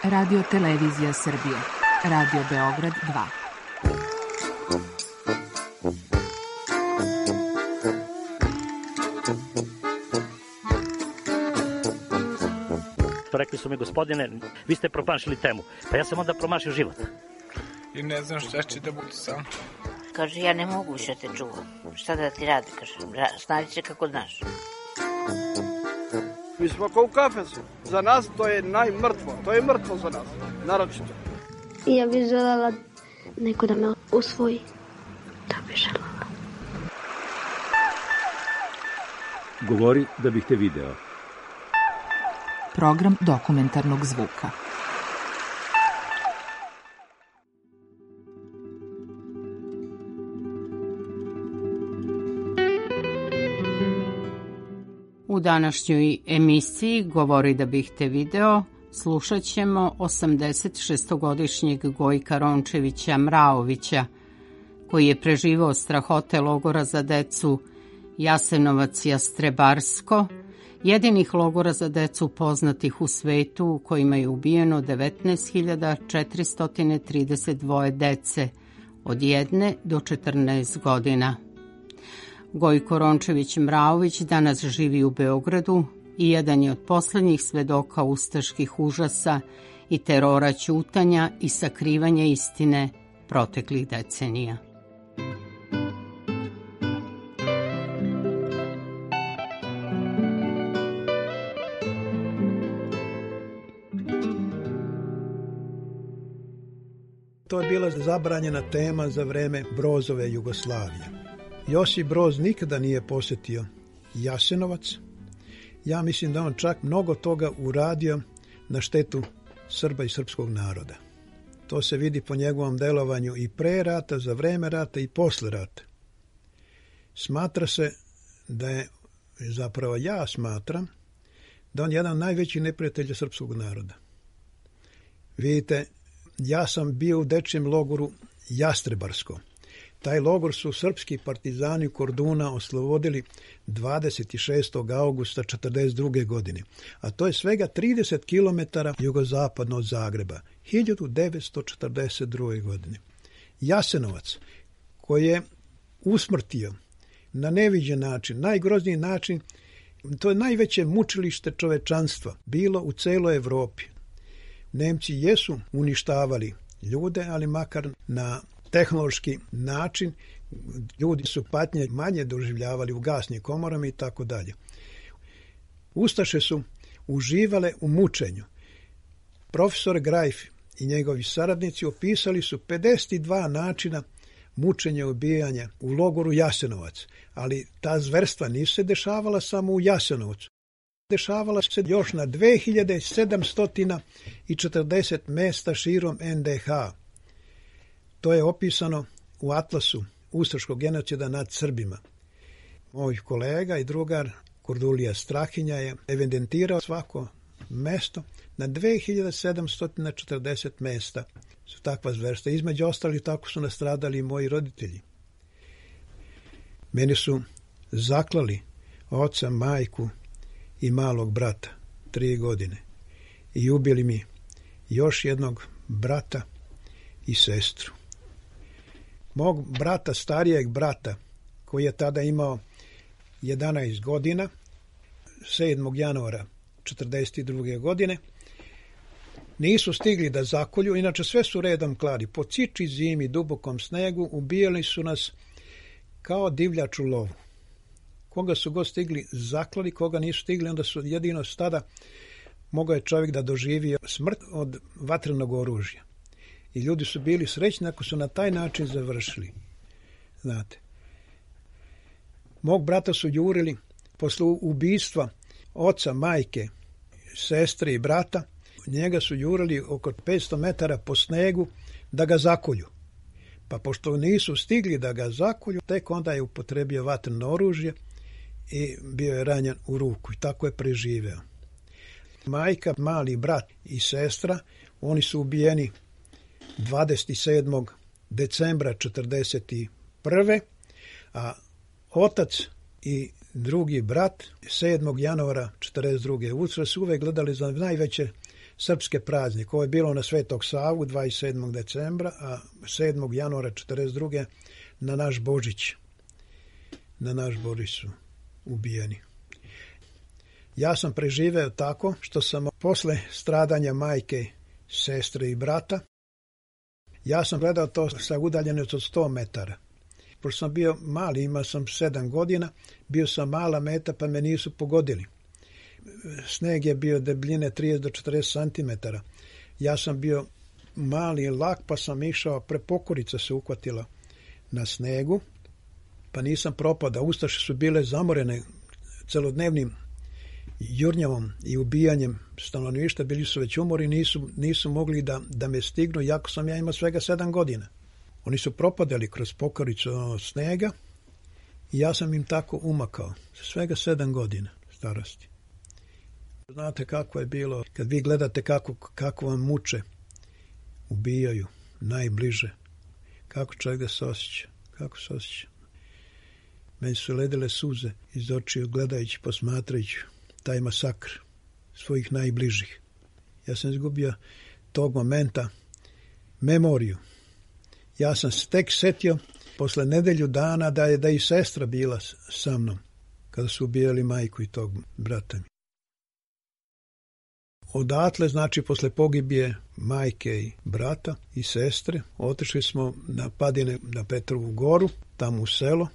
Radio Televizija Srbije. Radio Beograd 2. Rekli su mi, gospodine, vi ste promašili temu. Pa ja sam onda promašio život. I ne znam šta će da bude sam. Kaže, ja ne mogu više te čuvam. Šta da ti radi, kaže, snađi se kako znaš. Mi smo kao u kafesu. Za nas to je najmrtvo. To je mrtvo za nas, naročito. Ja bih želela neko da me usvoji. Da bih želela. Govori da bih te video. Program dokumentarnog zvuka. U današnjoj emisiji Govori da bih te video slušat ćemo 86-godišnjeg Gojka Rončevića Mraovića, koji je preživao strahote logora za decu Jasenovac i Jastrebarsko, jedinih logora za decu poznatih u svetu u kojima je ubijeno 19.432 dece od 1 do 14 godina. Gojko Rončević Mraović danas živi u Beogradu i jedan je od poslednjih svedoka ustaških užasa i terora ćutanja i sakrivanja istine proteklih decenija. To je bila zabranjena tema za vreme Brozove Jugoslavije. Josip Broz nikada nije posjetio Jasenovac. Ja mislim da on čak mnogo toga uradio na štetu Srba i srpskog naroda. To se vidi po njegovom delovanju i pre rata, za vreme rata i posle rata. Smatra se da je, zapravo ja smatram, da on je jedan od najvećih neprijatelja srpskog naroda. Vidite, ja sam bio u dečijem logoru Jastrebarsko. Taj logor su srpski partizani Korduna oslobodili 26. augusta 1942. godine, a to je svega 30 km jugozapadno od Zagreba, 1942. godine. Jasenovac, koji je usmrtio na neviđen način, najgrozniji način, to je najveće mučilište čovečanstva bilo u celoj Evropi. Nemci jesu uništavali ljude, ali makar na tehnološki način, ljudi su patnje manje doživljavali u gasnim komorama i tako dalje. Ustaše su uživale u mučenju. Profesor Grajf i njegovi saradnici opisali su 52 načina mučenja i ubijanja u logoru Jasenovac, ali ta zverstva nisu se dešavala samo u Jasenovcu. Dešavala se još na 2740 mesta širom NDH. To je opisano u atlasu ustaškog genocida nad Srbima. Moj kolega i drugar Kordulija Strahinja je evidentirao svako mesto na 2740 mesta su takva zverstva. Između ostalih tako su nastradali i moji roditelji. Meni su zaklali oca, majku i malog brata 3 godine i ubili mi još jednog brata i sestru. Mog brata, starijeg brata, koji je tada imao 11 godina, 7. januara 1942. godine, nisu stigli da zakolju, inače sve su redom klali. Po ciči zimi, dubokom snegu, ubijali su nas kao divljač u lovu. Koga su god stigli zaklali, koga nisu stigli, onda su jedino tada mogao je čovjek da doživi smrt od vatrenog oružja. I ljudi su bili srećni ako su na taj način završili. Znate. Mog brata su jurili posle ubistva oca, majke, sestre i brata. Njega su jurili oko 500 metara po snegu da ga zakolju. Pa pošto nisu stigli da ga zakolju, tek onda je upotrebio vatreno oružje i bio je ranjen u ruku. I tako je preživeo. Majka, mali brat i sestra, oni su ubijeni 27. decembra 1941. A otac i drugi brat 7. januara 1942. Utre su uvek gledali za najveće srpske praznike. Ovo je bilo na Svetog Savu 27. decembra, a 7. januara 42. na naš Božić. Na naš Božić su ubijeni. Ja sam preživeo tako što sam posle stradanja majke, sestre i brata, ja sam gledao to sa udaljenosti od 100 metara. Pošto sam bio mali, imao sam 7 godina, bio sam mala meta pa me nisu pogodili. Sneg je bio debljine 30 do 40 cm. Ja sam bio mali i lak pa sam išao, prepokurica se uhvatila na snegu, pa nisam propadao. Ustaše su bile zamorene celodnevnim jurnjavom i ubijanjem stanovništva, bili su već umori, nisu mogli da me stignu, jako sam ja imao svega 7 godina. Oni su propadali kroz pokoricu snega i ja sam im tako umakao. Svega 7 godina starosti. Znate kako je bilo, kad vi gledate kako vam muče, ubijaju najbliže, kako čovjek da se osjeća, kako se osjeća. Meni su ledile suze iz očiju gledajući, posmatrajući taj masakr svojih najbližih. Ja sam izgubio tog momenta memoriju. Ja sam tek setio posle nedelju dana da je i sestra bila sa mnom kada su ubijali majku i tog brata. Odatle, znači posle pogibije majke i brata i sestre, otišli smo na padine na Petrovu goru, tamo u selo.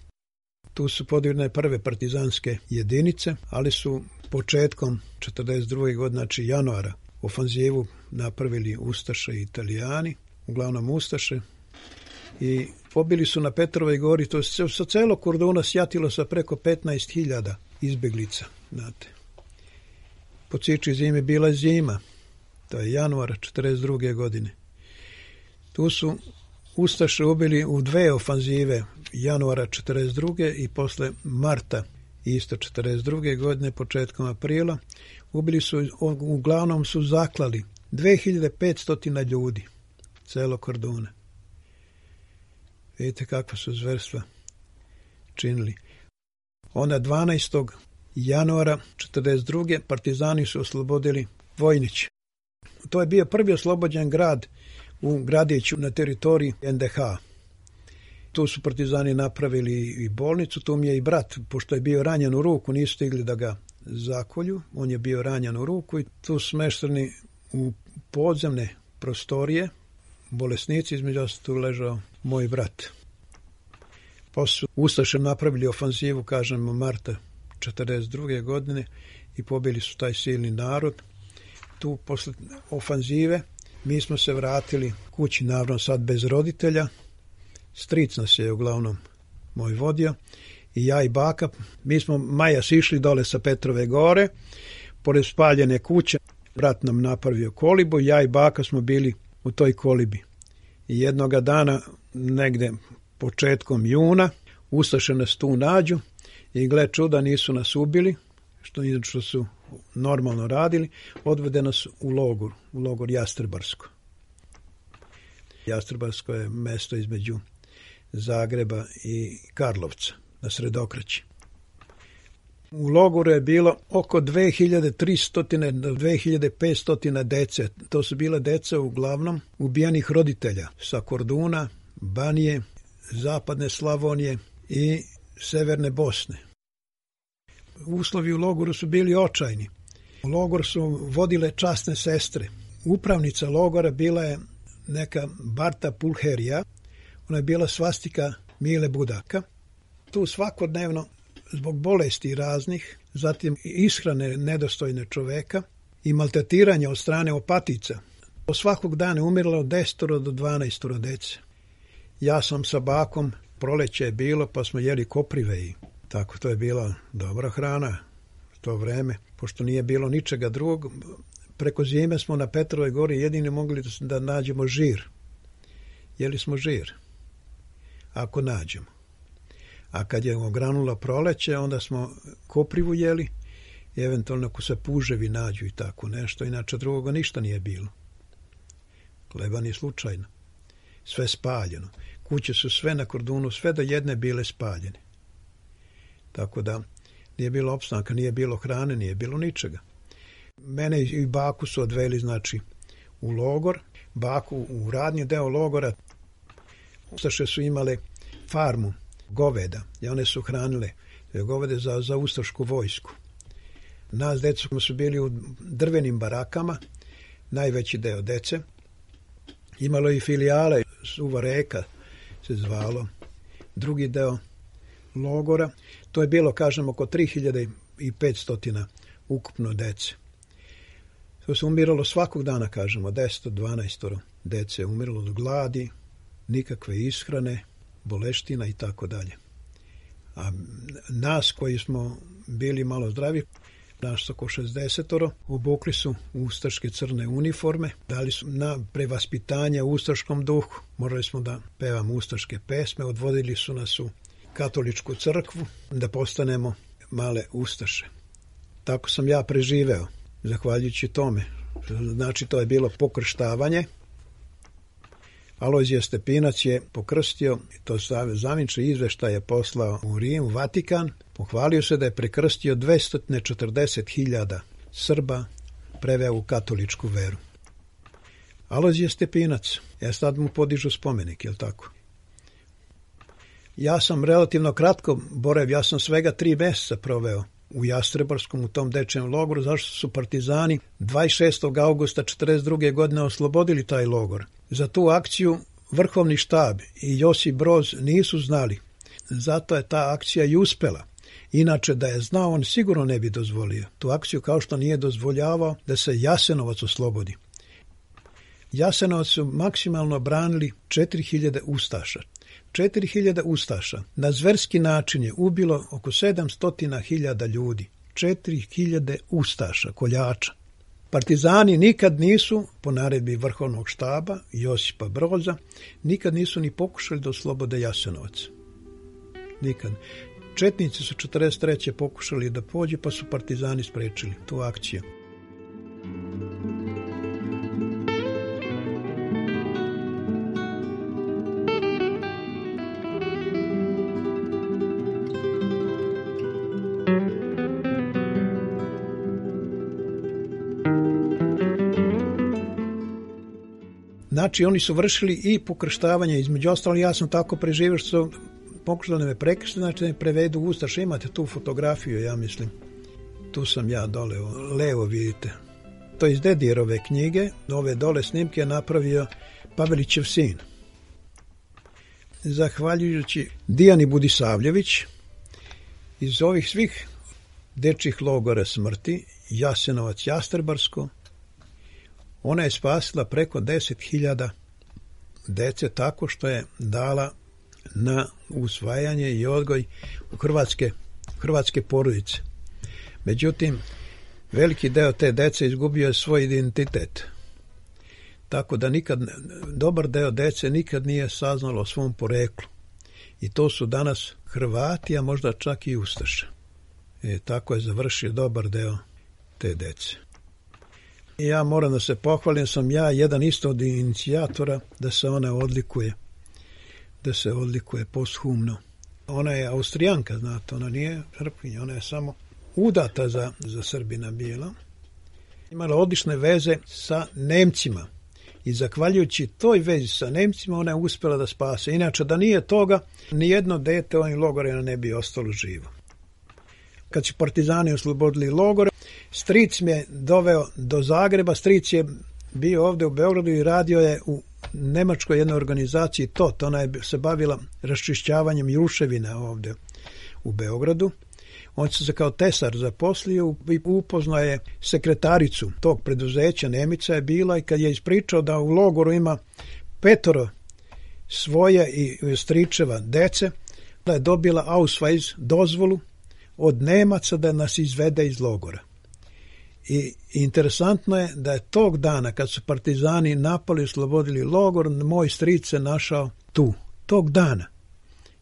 Tu su podignuti prve partizanske jedinice, ali su početkom 42. godine, znači januara, ofanzivu napravili Ustaše i Italijani, uglavnom Ustaše, i pobili su na Petrovoj gori, to se sa celog Korduna sjatilo sa preko 15.000 izbeglica, znate. Po ciči zime bila zima, to je januar 42. godine. Tu su Ustaše ubili u 2 ofanzive, januara 42. i posle marta isto 42. godine, početkom aprila. Ubili su, uglavnom su zaklali 2500 ljudi, celo Korduna. Vidite kakva su zverstva činili. Onda 12. januara 42. partizani su oslobodili Vojnić. To je bio prvi oslobođen grad u gradiću na teritoriji NDH. Tu su partizani napravili i bolnicu, tu mi je i brat, pošto je bio ranjen u ruku, nisu stigli da ga zakolju, on je bio ranjen u ruku i tu su smešteni u podzemne prostorije, bolesnici, između ostalog tu ležao moj brat. Posle su Ustaše napravili ofanzivu, kažemo, marta 42. godine i pobili su taj silni narod. Tu posle ofanzive mi smo se vratili kući, naravno sad bez roditelja. Stric nas je uglavnom moj vodio i ja i baka. Mi smo majas išli dole sa Petrove gore, pored spaljene kuće. Brat nam napravio kolibu, ja i baka smo bili u toj kolibi. I jednoga dana, negde početkom juna, Ustaše nas tu nađu i gle čuda, nisu nas ubili, što su normalno radili, odvede nas u logor Jastrebarsko. Jastrebarsko je mesto između Zagreba i Karlovca, na Sredokraći. U logoru je bilo oko 2300 do 2500 dece. To su bila deca uglavnom ubijenih roditelja sa Korduna, Banije, Zapadne Slavonije i Severne Bosne. Uslovi u logoru su bili očajni. U logor su vodile časne sestre. Upravnica logora bila je neka Barta Pulherija, ona je bila svastika Mile Budaka. Tu svakodnevno, zbog bolesti raznih, zatim ishrane nedostojne čoveka i maltretiranja od strane opatica, svakog dana umiralo od 10 do 12 dece. Ja sam sa bakom, proleće je bilo, pa smo jeli koprive i tako, to je bila dobra hrana u to vreme, pošto nije bilo ničega drugog. Preko zime smo na Petrovoj gori jedini mogli da nađemo žir. Jeli smo žir, ako nađemo. A kad je ogranulo proleće, onda smo koprivu jeli, i eventualno ako se puževi nađu i tako nešto, inače drugoga ništa nije bilo. Hleba ni slučajno. Sve spaljeno. Kuće su sve na Kordunu, sve do jedne bile spaljene. Tako da nije bilo opstanka, nije bilo hrane, nije bilo ničega. Mene i baku su odveli, znači, u logor, baku u radnji deo logora. Ustaše su imale farmu goveda i one su hranile govede za ustašku vojsku. Nas decu su bili u drvenim barakama, najveći deo dece. Imalo i filijale, Suva reka se zvalo, drugi deo logora. To je bilo, kažem, oko 3500 ukupno dece. To se umiralo svakog dana, kažemo, 10-12 dece. Umiralo od gladi, nikakve ishrane, boleština i tako dalje. A nas koji smo bili malo zdravi, nas oko 60, obukli su ustaške crne uniforme, dali su na prevaspitanje u ustaškom duhu. Morali smo da pevamo ustaške pesme, odvodili su nas u katoličku crkvu da postanemo male ustaše. Tako sam ja preživeo, zahvaljujući tome. Znači, to je bilo pokrštavanje. Alojzije Stepinac je pokrstio, to zavinčni izveštaj je poslao u Rim, u Vatikan. Pohvalio se da je prekrstio 240.000 Srba, preveo u katoličku veru. Alojzije Stepinac, sad mu podižu spomenik, je li tako? Ja sam relativno kratko boravio, ja sam svega 3 meseca proveo u Jastrebarskom, u tom dečijem logoru, zašto su partizani 26. augusta 1942. godine oslobodili taj logor. Za tu akciju Vrhovni štab i Josip Broz nisu znali. Zato je ta akcija i uspela. Inače, da je znao, on sigurno ne bi dozvolio tu akciju, kao što nije dozvoljavao da se Jasenovac oslobodi. Jasenovac su maksimalno branili 4000 ustaša. 4000 ustaša na zverski način je ubilo oko 700.000 ljudi. 4000 ustaša, koljača. Partizani nikad nisu, po naredbi Vrhovnog štaba Josipa Broza, nikad nisu ni pokušali da oslobode Jasenovac. Nikad. Četnici su 43. pokušali da pođe, pa su partizani sprečili tu akciju. Znači, oni su vršili i pokrštavanje, između ostalo, ja sam tako preživio što su pokušali da me prekršte, znači da me prevedu u ustaše. Imate tu fotografiju, ja mislim. Tu sam ja dole, levo vidite. To je iz Dedijerove knjige, ove dole snimke je napravio Pavelićev sin. Zahvaljujući Dijani Budisavljević, iz ovih svih dečjih logora smrti, Jasenovac, Jastrebarsko, ona je spasila preko 10.000 dece tako što je dala na usvajanje i odgoj u hrvatske porodice. Međutim, veliki deo te dece izgubio je svoj identitet. Tako da dobar deo dece nikad nije saznalo o svom poreklu. I to su danas Hrvati, a možda čak i ustaše. Tako je završio dobar deo te dece. I ja moram da se pohvalim, sam ja jedan isto od inicijatora da se ona odlikuje posthumno. Ona je Austrijanka, znate, ona nije Srpkinja, ona je samo udata za Srbina bila. Imala odlične veze sa Nemcima i zahvaljujući toj vezi sa Nemcima ona je uspjela da spase. Inače, da nije toga, nijedno dete ovim logorima ne bi ostalo živo. Kad su partizani oslobodili logore, stric me je doveo do Zagreba, stric je bio ovdje u Beogradu i radio je u nemačkoj jednoj organizaciji TOT, ona je se bavila raščišćavanjem ruševina ovdje u Beogradu. On se kao tesar zaposlio i upoznao je sekretaricu tog preduzeća, Nemica je bila, i kad je ispričao da u logoru ima 5 svoje i stričeva dece, da je dobila Ausweis, dozvolu od Nemaca da nas izvede iz logora. I interesantno je da je tog dana kad su partizani napali i oslobodili logor, moj stric se našao tu, tog dana.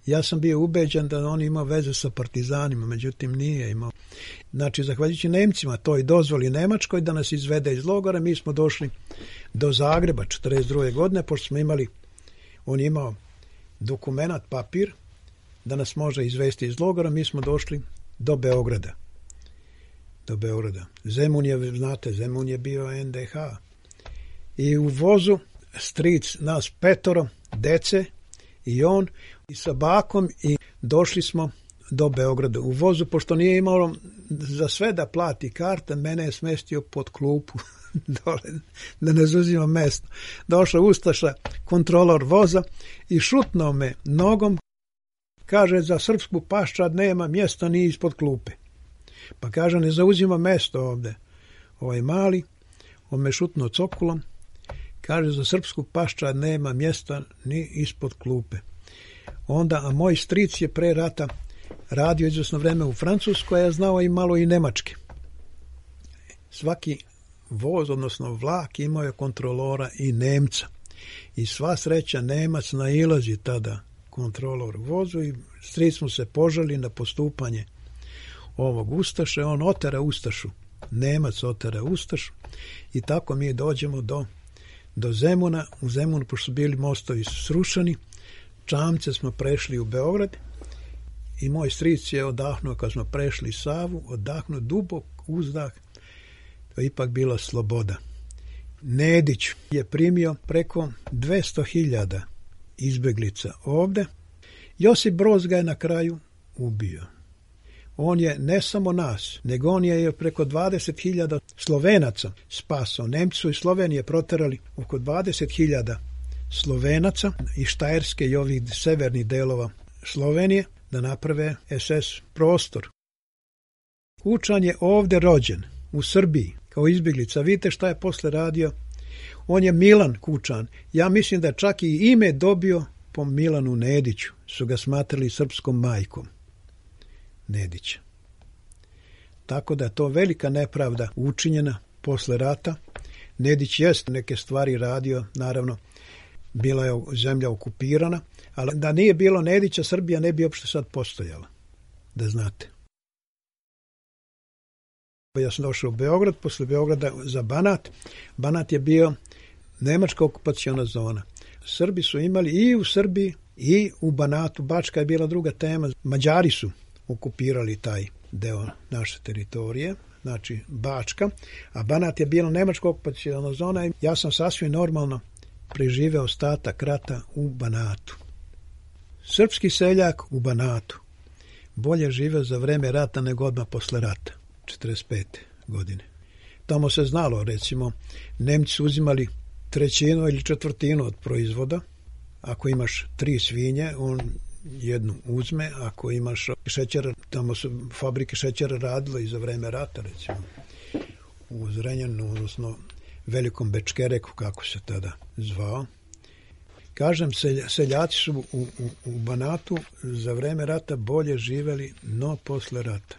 Ja sam bio ubeđen da on ima veze sa partizanima, međutim nije imao. Znači, zahvaljujući Nemcima, toj dozvoli Nemačkoj da nas izvede iz logora, mi smo došli do Zagreba 1942. godine, pošto smo imali, on je imao dokumenat, papir, da nas može izvesti iz logora, mi smo došli do Beograda. do Beograda. Zemun je, znate, Zemun je bio NDH. I u vozu stric nas 5 dece i on i sa bakom i došli smo do Beograda. U vozu, pošto nije imalo za sve da plati karta, mene je smestio pod klupu dole, da ne zauzima mesto. Došao ustaša, kontrolor voza i šutnuo me nogom. Kaže, za srpsku paščad nema mjesta ni ispod klupe. Pa kaže, ne zauzima mesto ovde. Ovaj mali, on me šutnuo cokulom. Kaže, za srpsku paščad nema mjesta ni ispod klupe. Onda, a moj stric je pre rata radio izvesno vreme u Francuskoj, ja znao i malo i nemački. Svaki voz, odnosno vlak, imao je kontrolora i Nemca. I sva sreća Nemac nailazi tada kontrolor vozu i stric mu se požali na postupanje ovog ustaše. On otera ustašu. Nemac otera ustašu i tako mi dođemo do Zemuna. U Zemunu, pošto su bili mostovi srušeni, čamce smo prešli u Beograd i moj stric je odahnuo, kad smo prešli Savu, odahnuo dubok uzdah. To je ipak bila sloboda. Nedić je primio preko 200.000 izbeglica ovde. Josip Broz ga je na kraju ubio. On je ne samo nas, nego on je preko 20.000 Slovenaca spasao. Nemci su iz Slovenije proterali oko 20.000 Slovenaca iz Štajerske i ovih severnih delova Slovenije da naprave SS prostor. Kučan je ovde rođen, u Srbiji, kao izbjeglica. Vidite šta je posle radio? On je Milan Kučan. Ja mislim da čak i ime dobio po Milanu Nediću. Su ga smatrali srpskom majkom Nedića. Tako da je to velika nepravda učinjena posle rata. Nedić jest neke stvari radio, naravno, bila je zemlja okupirana, ali da nije bilo Nedića, Srbija ne bi uopšte sad postojala, da znate. Ja sam došao u Beograd, posle Beograda za Banat. Banat je bio nemačka okupaciona zona. Srbi su imali i u Srbiji i u Banatu. Bačka je bila druga tema. Mađari su okupirali taj deo naše teritorije, znači Bačka, a Banat je bila nemačka okupaciona zona i ja sam sasvim normalno preživeo ostatak rata u Banatu. Srpski seljak u Banatu bolje živeo za vreme rata nego odmah posle rata, 45. godine. Tamo se znalo, recimo, Nemci su uzimali 1/3 ili 1/4 od proizvoda. Ako imaš 3 svinje, on jednu uzme. Ako imaš šećer, tamo su fabrike šećera radile i za vreme rata, recimo, u Zrenjaninu, odnosno Velikom Bečkereku, kako se tada zvao. Kažem, seljaci su u Banatu za vreme rata bolje živeli, no posle rata.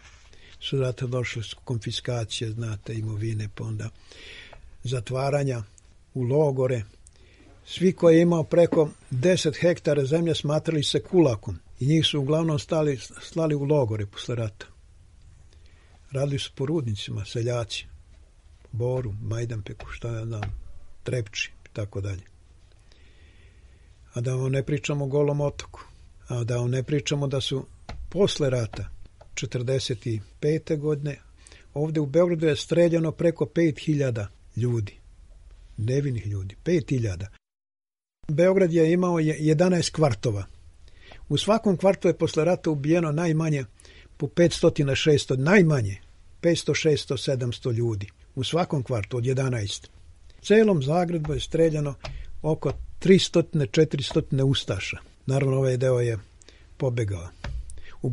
Su rata došle konfiskacije, znate, imovine, pa onda zatvaranja u logore. Svi koji je imao preko 10 hektara zemlje smatrali se kulakom i njih su uglavnom slali u logore posle rata. Radili su po rudnicima, seljaci, Boru, Majdanpeku, šta ja znam, Trepči i tako dalje. A da vam ne pričamo o Golom otoku, a da vam ne pričamo da su posle rata 45. godine ovde u Beogradu je streljano preko 5.000 ljudi, nevinih ljudi, 5.000. Beograd je imao 11 kvartova. U svakom kvartu je posle rata ubijeno najmanje po 500-600, najmanje 500, 600, 700 ljudi. U svakom kvartu od 11. Celom Zagrebu je streljano oko 300-400 ustaša. Naravno, ovaj deo je pobegao. U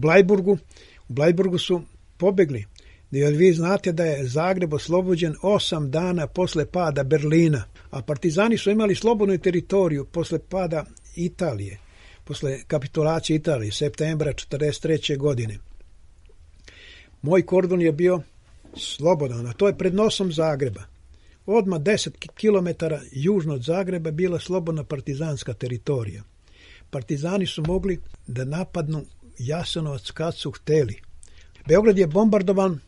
Blajburgu su pobegli. Jer vi znate da je Zagreb oslobođen 8 dana posle pada Berlina, a partizani su imali slobodnu teritoriju posle pada Italije, posle kapitulacije Italije, septembra 1943. godine. Moj kordon je bio slobodan, a to je pred nosom Zagreba. Odmah 10 km južno od Zagreba bila slobodna partizanska teritorija. Partizani su mogli da napadnu Jasenovac kad su hteli. Beograd je bombardovan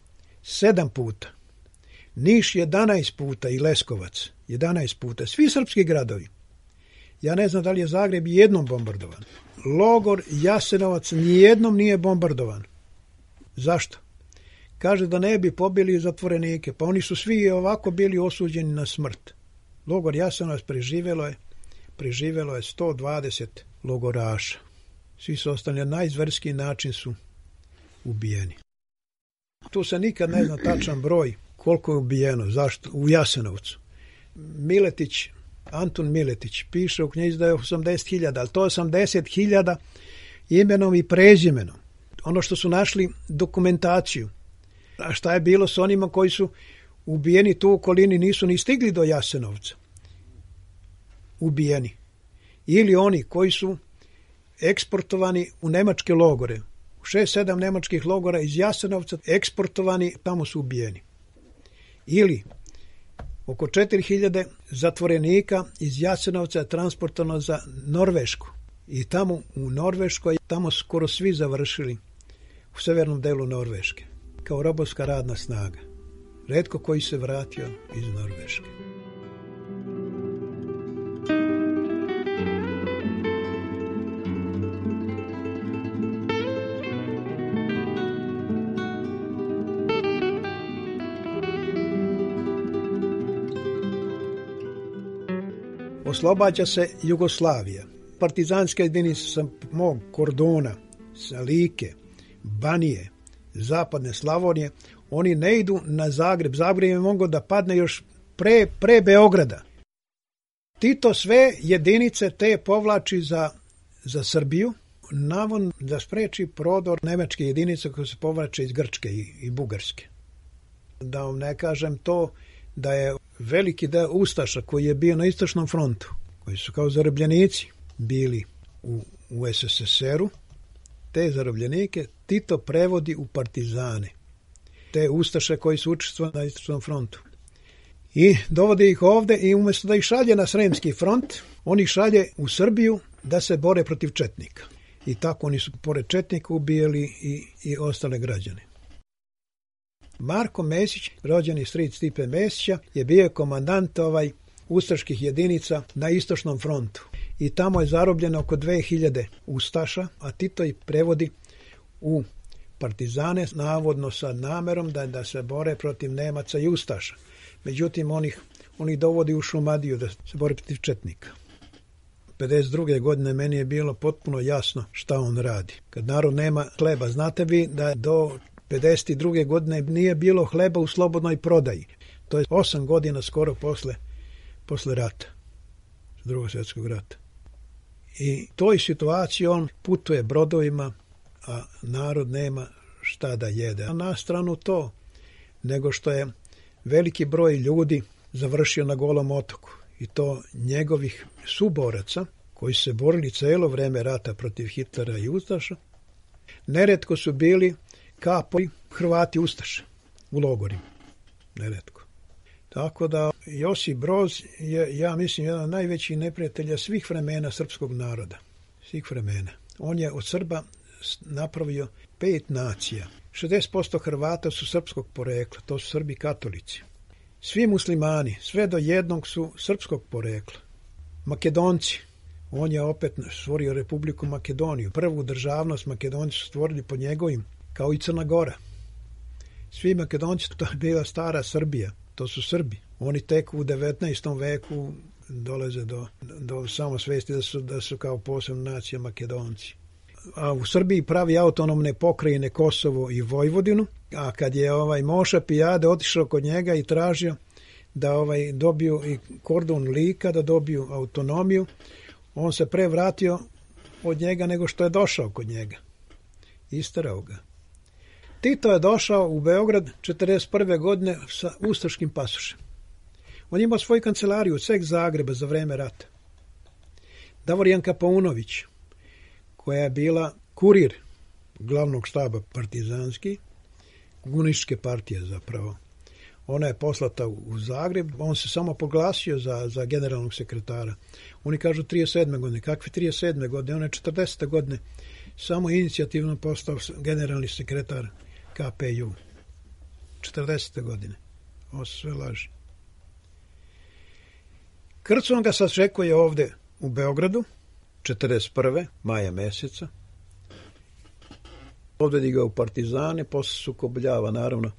7 puta. Niš 11 puta i Leskovac 11 puta. Svi srpski gradovi. Ja ne znam da li je Zagreb jednom bombardovan. Logor Jasenovac nijednom nije bombardovan. Zašto? kaže da ne bi pobili zatvorenike, pa oni su svi ovako bili osuđeni na smrt. Logor Jasenovac preživelo je 120 logoraša. Svi su ostali na najzverskiji način su ubijeni. Tu se nikad ne zna tačan broj koliko je ubijeno, zašto, u Jasenovcu. Antun Miletić piše u knjizi da je 80.000, ali to je 80.000 imenom i prezimenom. Ono što su našli dokumentaciju. A šta je bilo s onima koji su ubijeni tu u okolini, nisu ni stigli do Jasenovca. Ubijeni. Ili oni koji su eksportovani u nemačke logore. U 6-7 nemačkih logora iz Jasenovca eksportovani, tamo su ubijeni. Ili oko 4.000 zatvorenika iz Jasenovca je transportovano za Norvešku. I tamo u Norveškoj, tamo skoro svi završili u severnom delu Norveške, kao robovska radna snaga. Retko koji se vratio iz Norveške. Oslobađa se Jugoslavija. Partizanske jedinice sa mog kordona, sa Like, Banije, zapadne Slavonije, oni ne idu na Zagreb. Zagreb je mogao da padne još pre Beograda. Tito sve jedinice te povlači za Srbiju, navodno da spreči prodor nemačke jedinice koje se povlače iz Grčke i Bugarske. Da vam ne kažem to da je veliki deo ustaša koji je bio na istočnom frontu, koji su kao zarobljenici bili u SSSR-u, te zarobljenike Tito prevodi u partizane. Te ustaše koji su učestvovali na istočnom frontu. I dovode ih ovde i umjesto da ih šalje na Sremski front, oni šalje u Srbiju da se bore protiv četnika. I tako oni su pored četnika ubijali i ostale građane. Marko Mesić, rođeni stric Stipe Mesića, je bio komandant ustaških jedinica na istočnom frontu. I tamo je zarobljeno oko 2000 ustaša, a Tito ih prevodi u partizane, navodno sa namerom da se bore protiv Nemaca i ustaša. Međutim, oni dovodi u Šumadiju da se bore protiv četnika. 52. godine meni je bilo potpuno jasno šta on radi. Kad narod nema hleba, znate vi da do 52. godine nije bilo hleba u slobodnoj prodaji. To je 8 godina skoro posle rata, Drugog svjetskog rata. I toj situaciji on putuje brodovima, a narod nema šta da jede. A na stranu to, nego što je veliki broj ljudi završio na Golom otoku. I to njegovih suboraca, koji su se borili celo vreme rata protiv Hitlera i ustaša, neretko su bili kapovi Hrvati ustaše u logorima. Neretko. Tako da Josip Broz je, ja mislim, jedan od najvećih neprijatelja svih vremena srpskog naroda. Svih vremena. On je od Srba napravio 5 nacija. 60% Hrvata su srpskog porekla, to su Srbi katolici. Svi muslimani, sve do jednog su srpskog porekla. Makedonci, on je opet stvorio Republiku Makedoniju. Prvu državnost Makedonci su stvorili po njegovim, kao i Crna Gora. Svi Makedonci, to je bila stara Srbija, to su Srbi. Oni tek u 19. veku dolaze do samosvesti da su kao posebna nacija Makedonci. A u Srbiji pravi autonomne pokrajine Kosovo i Vojvodinu, a kad je Moša Pijade otišao kod njega i tražio da dobiju i kordon Lika, da dobiju autonomiju, on se pre vratio od njega nego što je došao kod njega. Isterao ga. Tito je došao u Beograd 1941. godine sa ustaškim pasošem. On je imao svoju kancelariju od sveg Zagreba za vreme rata. Davorjanka Paunović, koja je bila kurir glavnog štaba partizanski, komunističke partije zapravo. Ona je poslata u Zagreb, on se samo poglasio za generalnog sekretara. Oni kažu 37. godine. Kakve 37. godine? On je 40. godine samo inicijativno postao generalni sekretar KPU. 40. godine. Ovo su sve laži. Krcon ga sačekuje ovde u Beogradu, 41. maja meseca. Odvedi ga u partizane, posle sukobljava, naravno.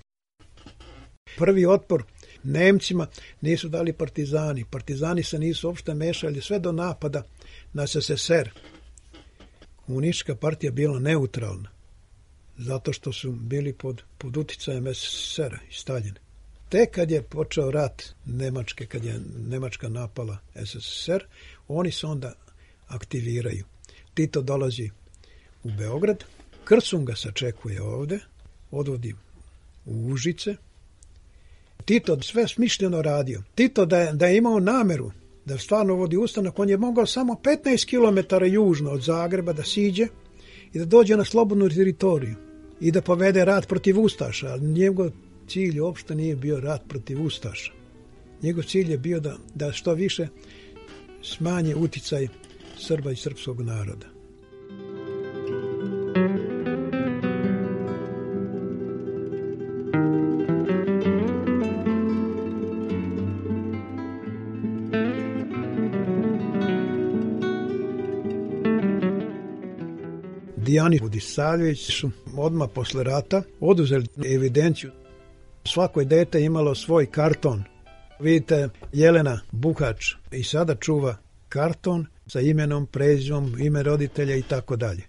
Prvi otpor Nemcima nisu dali partizani. Partizani se nisu uopšte mešali sve do napada na SSSR. Komunistička partija bila neutralna, zato što su bili pod uticajem SSSR-a i Staljina. Tek kad je počeo rat Nemačke, kad je Nemačka napala SSSR, oni se onda aktiviraju. Tito dolazi u Beograd, Krsun ga sačekuje ovde, odvodi u Užice. Tito sve smišljeno radio. Tito da je imao nameru da stvarno vodi ustanak, on je mogao samo 15 km južno od Zagreba da siđe i da dođe na slobodnu teritoriju i da povede rat protiv Ustaša, ali njegov cilj uopšte nije bio rat protiv Ustaša. Njegov cilj je bio da što više smanje uticaj Srba i srpskog naroda. Dijani Budisavljević su odmah posle rata oduzeli evidenciju. Svako dete imalo svoj karton. Vidite, Jelena Buhač i sada čuva karton sa imenom, prezimom, ime roditelja i tako dalje,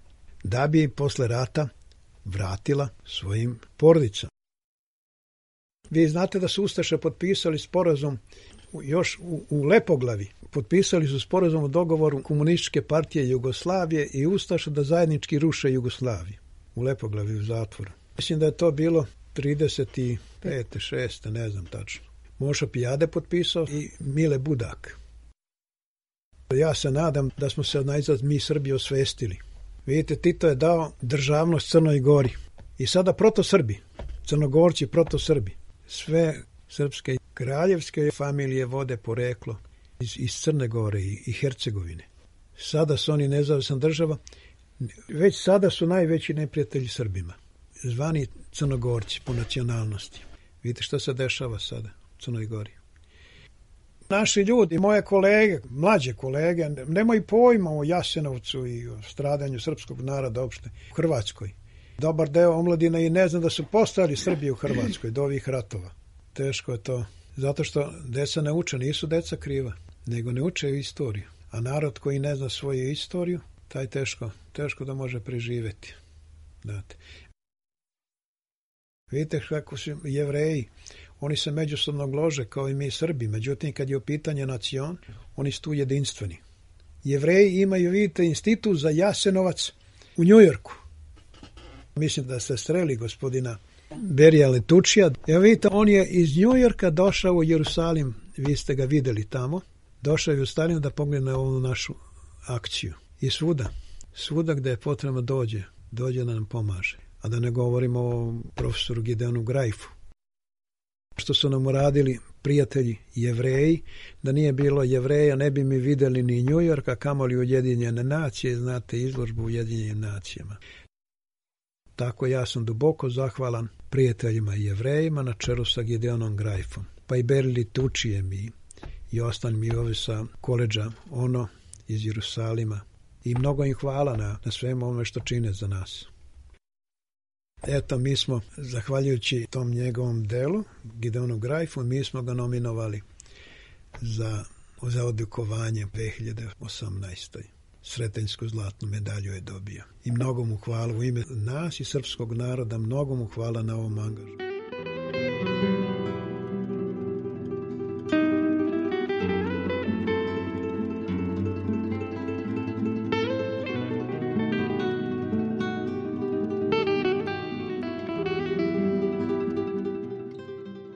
da bi posle rata vratila svojim porodicama. Vi znate da su Ustaše potpisali sporazum još u Lepoglavi. Potpisali su sporazum o dogovoru Komunističke partije Jugoslavije i Ustaša da zajednički ruše Jugoslaviju. U Lepoglavi u zatvoru. Mislim da je to bilo 35. 6. ne znam tačno. Mošo Pijade potpisao i Mile Budak. Ja se nadam da smo se najzad mi Srbi osvestili. Vidite, Tito je dao državnost Crnoj Gori. I sada protosrbi, Crnogorci protosrbi. Sve srpske kraljevske familije vode poreklo iz Crne Gore i Hercegovine. Sada su oni nezavisna država. Već sada su najveći neprijatelji Srbima. Zvani Crnogorci po nacionalnosti. Vidite što se dešava sada u Crnoj Gori. Naši ljudi, moje kolege, mlađe kolege, nemaju pojma o Jasenovcu i o stradanju srpskog naroda uopšte u Hrvatskoj. Dobar deo omladine i ne zna da su postali Srbi u Hrvatskoj do ovih ratova. Teško je to, zato što deca ne uče, nisu deca kriva, nego ne uče istoriju. A narod koji ne zna svoju istoriju, taj teško da može preživeti. Znate. Vidite kako su Jevreji, oni se međusobno glože kao i mi Srbi, međutim kad je u pitanje nacion, oni su tu jedinstveni. Jevreji imaju, vidite, institut za Jasenovac u Njujorku. Mislim da ste streli gospodina Berija Letučija. Evo vidite, on je iz Njujorka došao u Jerusalim, vi ste ga videli tamo, došao je u Jerusalim da pogleda na ovu našu akciju. I svuda gde je potrebno dođe da nam pomaže. A da ne govorimo o profesoru Gideonu Grajfu. Što su nam uradili prijatelji Jevreji, da nije bilo Jevreja ne bi mi videli ni Njujorka, kamoli Ujedinjene nacije, znate izložbu u Ujedinjenim nacijama. Tako ja sam duboko zahvalan prijateljima i Jevrejima na čelu sa Gideonom Grajfom, pa i Beri Letučijem i ostalim i ovi sa koledža ono iz Jerusalima. I mnogo im hvala na svemu ovome što čine za nas. Eto, mi smo, zahvaljujući tom njegovom delu, Gideonu Grajfu, mi smo ga nominovali za odlikovanje 2018. Sretenjsku zlatnu medalju je dobio. I mnogo mu hvala u ime nas i srpskog naroda, mnogo mu hvala na ovom angažu.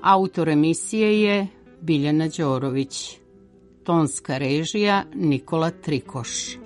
Autor emisije je Biljana Đorović. Tonska režija Nikola Trikoš.